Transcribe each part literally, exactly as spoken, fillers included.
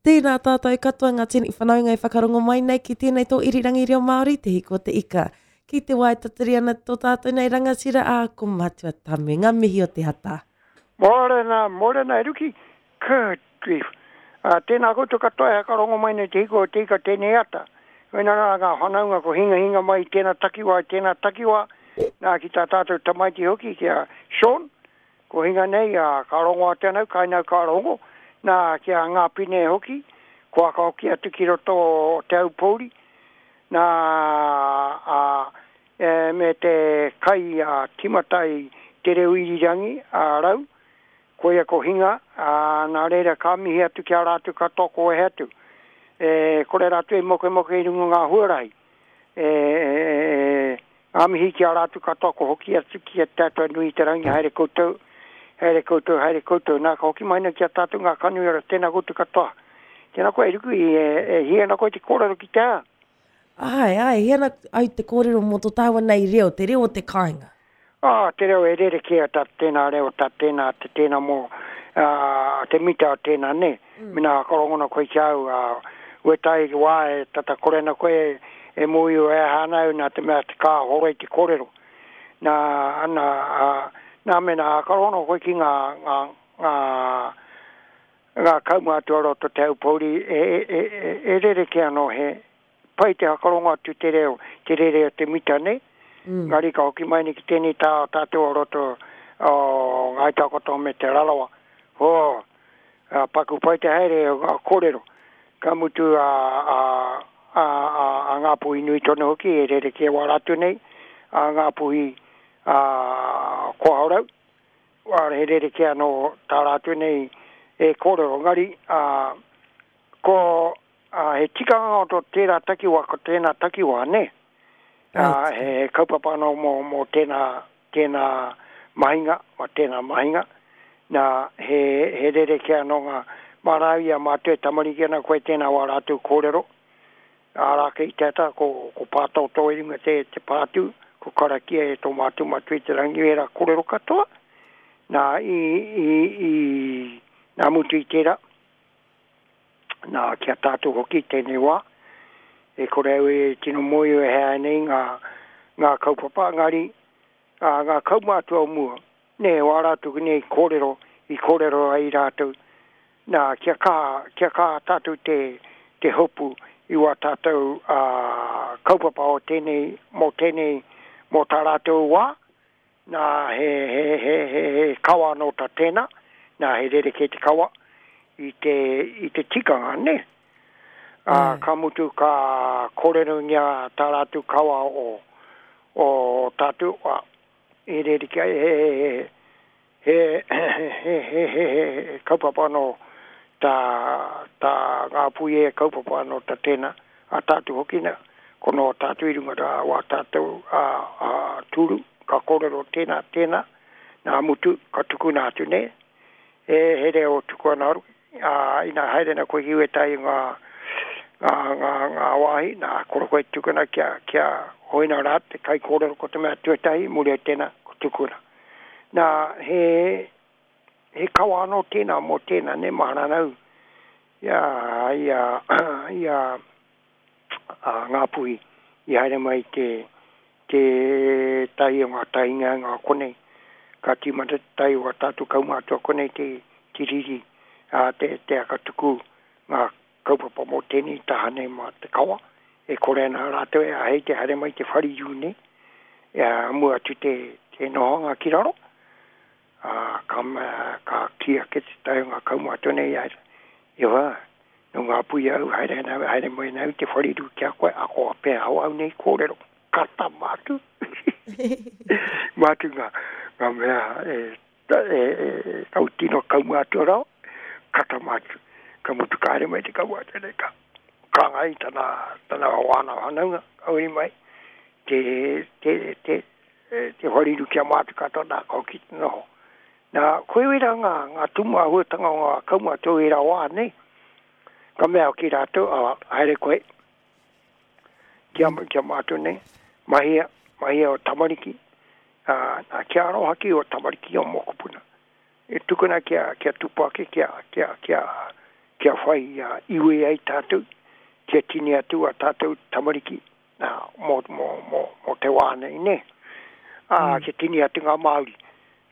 Tēnā tātou katoa ngā tini whanaunga e whakarongo mai nei ki tēnei tō irirangi reo Māori, Te Hiko o Te Ika. Ki te wā e tatari ana tō tātou nei rangatira a ko Matua Tame. Ngā mihi o te ata. Mōrena, mōrena e Ruki. Good grief. Uh, tēnā koutou katoa e whakarongo mai nei Te Hiko o Te Ika tēnei ata. Koina rā ngā whanaunga ko hingahinga mai i tēnā takiwā, i tēnā takiwā. Nā ki tā tātou tamaiti hoki ki a Sean. Ko hinga nei, uh, ka rongo atu anau, kai nau ka rongo. Nā ki a Ngāpine hoki, kua ka hoki atu ki roto o Te Aupōuri. Nā, a, e, me te kai a timata i te reo irirangi a Rau, koia ko hinga, a, nā reira ka mihi atu ki a rātou katoa ko wehe atu. E, kore rātou e mokemoke i runga ngā huarahi. E, e, ngā mihi ki a rātou katoa ko hoki atu ki a Te Atua nui te rangi, haere koutou, haere koutou, haere koutou. Nā, ka hoki mai nei ki a tātou ngā kanui ora, tēnā koutou katoa. Tēnā koe, e Ruku, e, e hia ana koe te kōrero ki te a? Ai, ai, hia ana au te kōrero mō tō tāua nei reo, te reo o te kāinga. Ah, te reo e rerekē a tā tēnā reo, tā tēnā, te tēnā mō, uh, te mita o tēnā, ne? Mm. Mena whakarongona koe ki au, uh, wētahi wā e tata kore ana koe e, e mōhio e aha ana au nā te mea te kā hora i te kōrero. Nā, ana, uh, nā mena whakarongona koe ki ngā, ngā, ngā, ngā kaumātua roto Te Aupōuri e, e, e, e, e rerekē anō he pai te whakarongo atu te reo, te rere o te mita, ne? Mm. Ngari ka hoki mai nei ki tēnei tā o tātou o roto o Ngāi Takoto me Te Rarawa. Ho, a, paku pai te haere o ngā kōrero. Ka mutu a, a, a, a, a Ngāpuhi nui tonu hoki e rerekē wā rātou nei, a Ngāpuhi a Kohaorau. Wā, he rerekē anō tā rātou nei e kōrero. Ngari, a, ko a, he tikanga o tō tērā takiwā, ko tēnā takiwā, ne? Uh, he kaupapa anō mō, mō tēnā, tēnā mahinga, mō tēnā mahinga. Nā, he, he rerekē anō ngā mārau i a mātou e tamariki ana koe tēnā wā rātou kōrero. Ārā kei te ata, ko, ko pātōtō i runga te, te pātū, ko karakia e tō mātou matua i te rangi e rā kōrero katoa. Nā, i, i, i, nā mutu i tērā, nā, ki a tātou hoki tēnei wā, e kore au e tino mōhio e hea nei ngā, ngā kaupapa, ngari, ā, ngā kaumātua o mua, ne, wā rātou nei kōrero, i kōrero ai rātou, nā, kia kā, kia kā tātou te, te hopu i wā tātou ā, kaupapa o tēnei, mō tēnei, mō tā rātou wā, nā, he, he, he, he, he kawa anō tā tēnā, nā, he rerekē te kawa i te, i te tikanga, ne? Uh, ka mutu ka kōrerongia tā rātou kawa o, o tātou, uh, e rerekē, he, he, he, he, he, he, he kaupapa anō tā, tā ngā pui e kaupapa anō tā tēnā, a tātou hoki nā, ko no tātou i runga rā wā tātou a, a tūru, ka kōrero tēnā, tēnā, nā mutu, ka tukuna atu ne, e he reo tuku ana aru, a, ina haere na koe ki wētahi ngā, ngā, ngā, ngā wāhi, nā, kore koe tukuna kia, kia hoina rā te kai kōrero ko te mea tuatahi, muri o tēnā, ko tukuna. Nā, he, he kawa anō tēnā mō tēnā, ne, maharanau, ia, ia, ia, a, Ngāpuhi, i haere mai te, te tahi o ngā tahinga ngā konei, ka tīmata te tahi o ngā tātou kaumātua konei te, te riri, a, te, te akatuku ngā kaupapa mō tēnei taha nei mā te kawa, e kore ana rātou e ahei te haere mai te whariru nei, e a, mua atu te, te nohanga ki raro, a, ka, ka ki ake te tahi o ngā kaumātua nei, ai, iwa, no ngā pui au, haere, ana, haere mai nau te whariru ki a koe, ako a pēa au au nei kōrero, kata mātu. Mātu ngā, ngā mea e, e, e, e kau tino kaumātua rao, kata mātu. Ka mutu ka haere mai te kaumātua nei, ka, ka ngai tana, tana wāna whanaunga, ka uri mai, te, te, te, te whariru kia mātu katoa, nā, ka hoki te noho. Nā, koe wera ngā, ngā tumu āhuatanga o ngā kaumātua i rā wā nei, ka mea ki rātou, a, haere koe, kia, kia mātou nei, mahia, mahia o tamariki, a, nā, kia aroha ki o tamariki o mokopuna. E tukuna kia, kia tupu ake, kia, kia, kia, Kia whai uh, iwi ai tātou, kia tini atu a tātou tamariki, nā, mō, mō, mō, mō te wā nei, ne? Ā, mm. Kia tini atu ngā Māori.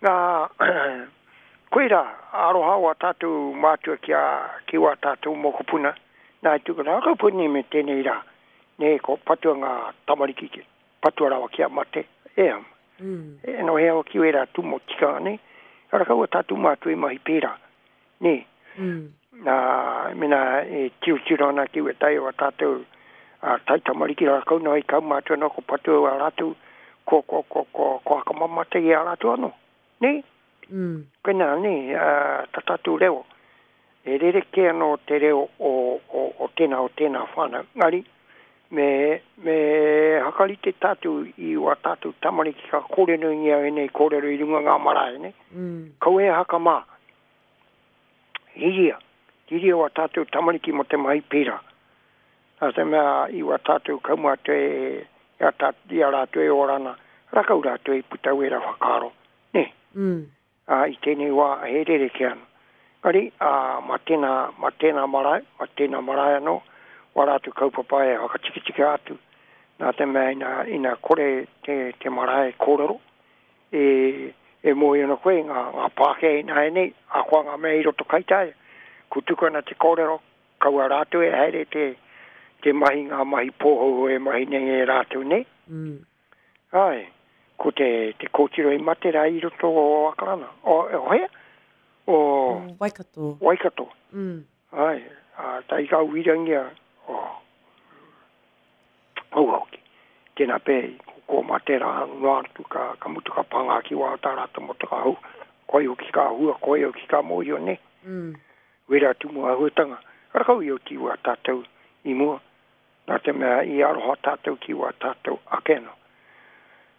Nā, koira, aroha o a tātou mātua ki a, ki wā tātou mokopuna, nā i tuku nā kaupuni me tēnei rā, ne, ko patua ngā tamariki, ki, patua rawa ki a mate, e am. Mm. E no hea o ki wera tūmo tikanga, ne? Ara kaua tātou mātua i mahi pērā, ne? Mm. Nā, mena e tiro ana ki we tai o a tātou a tai tamariki rā kau noa i kau mātua no ko patua a rātou, ko, ko, ko, ko, ko hakamamate i a rātou anō, ne? Mm. Koina, ne, uh, tā tātou reo. E rere ke anō te reo o, o, o tēnā o tēnā whānau. Ngari, me, me hakarite tātou i wā tātou tamariki ka kōrero i au nei kōrero i runga ngā marae, ne? Mm. Kau e hakamā. Hiria. Hiria wā tātou tamariki mo te mahi pērā. Nā te mea i wā tātou kaumātua e, i a, tā, i a rātou e orana, rakau rātou e puta wera whakaaro, ne? Mm. Ā, i tēnei wā he rere ke ana. Ngari, ā, ma tēnā, ma tēnā marae, ma tēnā marae anō, wā rātou kaupapa e whakatikitika atu. Nā te mea ina, ina kore te, te marae kōrero, e, e mōhio ana koe ngā, ngā Pākehā ina e nei, a koa ngā mea i roto kaitaia. Ko tuku ana te kōrero, kaua rātou e haere te, te mahi ngā mahi pōhou e mahi nei e rātou nei. Mm. Ai, ko te, te kōtiro i mate rā i roto o Akarana. O, o hea? O Waikato. Waikato. Mm. Ai, a, tai ka uirangia. O, o hoki. Tēnā pē, ko, ko mate rā noa atu ka, ka mutu ka pangā ki wā tā rātou mo te ka hau. Koi hoki ka hua, koi hoki ka mōhio ne. Mm. Wera tumu ahuatanga. Rakau i o ti wā tātou i mua. Nā te mea i aroha tātou ki wā tātou ake no.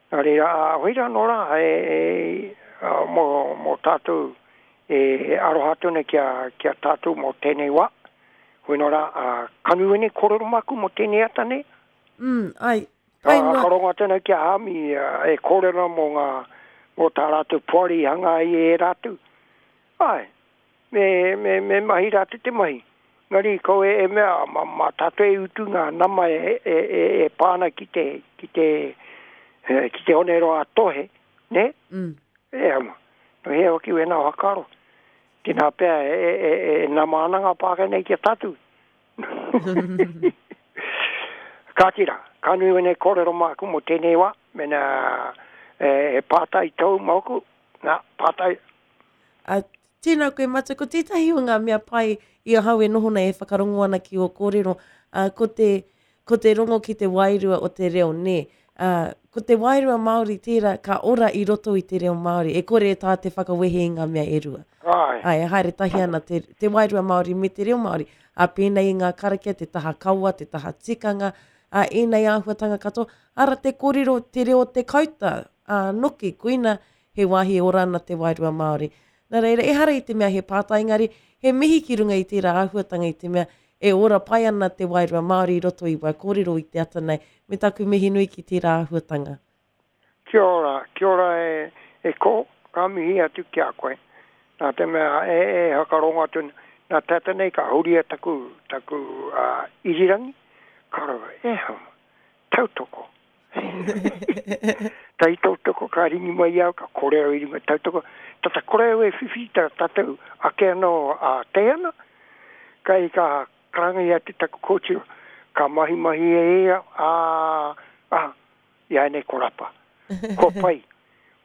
Nā reira, a hoira nō rā, e, e, a, mō, mō tātou e aroha tonu kia, kia tātou mō tēnei wā. Hoi nō rā, a, kanu ene kōrero maku mō tēnei ata nei. Mm, ai, pai noa. Ka rongo tēnei kia hami e kōrero mō ngā, mō tā rātou poari hanga i e rātou. Ai, me, me, me mahi rātou te mahi. Ngari ko e, e mea, ma, ma tātou e utu ngā nama e, e, e, e pāna ki te, ki te, e, ki te onero a tohe, ne? Mm. E ama, no hea hoki wena whakaaro. Tēnā pea e, e, e, e nama ana ngā Pākehā nei ki a tātou. Ka tira, ka nui wene kōrero māku mō tēnei wā, mena e, e pātai tau māku, nā, pātai. A, tēnā koe Matua, ko tētahi o ngā mea pai i ahau e noho nei e whakarongo ana ki o kōrero, uh, ko, te, ko te rongo ki te wairua o te reo, nē. Uh, ko te wairua Māori tērā ka ora i roto i te reo Māori, e kore e tā te whakawehe i ngā mea e rua. Ai. Ai, e haere tahi ana te, te wairua Māori me te reo Māori. A pēnei i ngā karakia, te taha kawa, te taha tikanga, a ēnei āhuatanga katoa, ara te kōrero, te reo te kauta, a noki, koina he wāhi ora ana te wairua Māori. Nā reira, ehara i te mea he pātai engari, he mihi ki runga i tērā āhuatanga i te mea e ora pai ana te wairua Māori i roto i wā kōrero i te ata nei, me taku mihi nui ki tērā āhuatanga. Kia ora, kia ora e, e ko, ka mihi atu ki a koe. Nā te mea e, e hakarongo atu, nā tata nei ka huria taku, taku uh, irirangi, ka rawa, e hama, tautoko. Tai tautoko ka ringi mai au, ka kore au i runga tautoko. Tata kore au e whiwhi tā tātou ake anō a te ana, kai ka karanga i atu taku kōtiro, ka mahi mahi e ea, a, a, i ai nei ko rapa. Ko pai,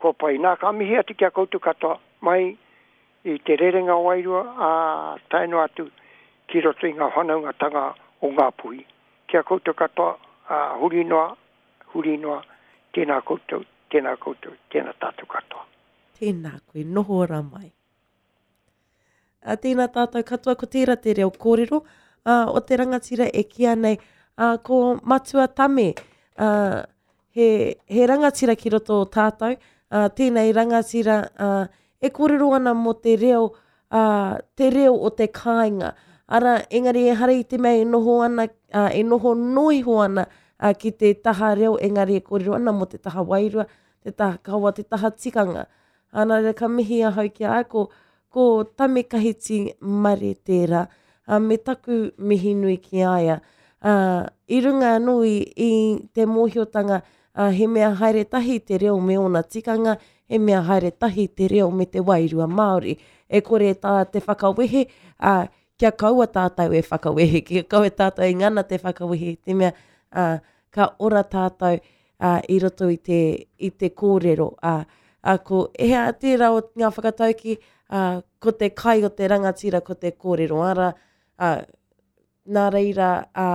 ko pai. Nā, ka mihi atu ki a koutou katoa, mai i te rerenga wairua, a tae noa atu ki roto i ngā whanaungatanga o ngā puhi. Ki a koutou katoa, a, huri noa, huri noa, tēnā koutou, tēnā koutou, tēnā tātou katoa. Tēnā koe, noho ora mai. A, tēnā tātou katoa, ko tērā te reo kōrero uh, o te rangatira e kīa nei, uh, ko Matua Tame, uh, he, he rangatira ki roto o tātou, uh, tēnei rangatira uh, e kōrero ana mō te reo, uh, te reo o te kāinga. Ara, engari ehara i te mea e noho ana, uh, e noho noiho ana uh, ki te taha reo, engari e kōrero ana mō te taha wairua, te taha kawa, te taha tikanga. Ana reira ka mihi ahau ki a ko, ko Tame Kahiti Mare tērā. Ā, me taku mihi nui ki a ia. Ā, i runga anō i, i te mōhiotanga, ā, he mea haere tahi te reo me ōna tikanga, he mea haere tahi te reo me te wairua Māori. E kore tā te whakawehe, ā, kia kaua tātou e whakawehe, kia kaua tātou e ngana te whakawehe i te mea, ā, ka ora tātou, ā, i roto i te, i te kōrero, ā, ā, ko hea tērā o ngā whakataukī, ā, ko te kai o te rangatira ko te kōrero, arā, ā, nā reira, ā,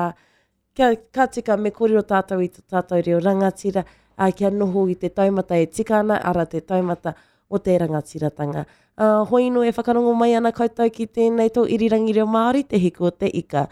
kia, ka tika me kōrero tātou i tō tātou reo rangatira, ā, kia noho i te taumata e tika ana, arā te taumata o te rangatiratanga. Ā, hoi nō e whakarongo mai ana koutou ki tēnei tō irirangi reo Māori, Te Hiku o te Ika.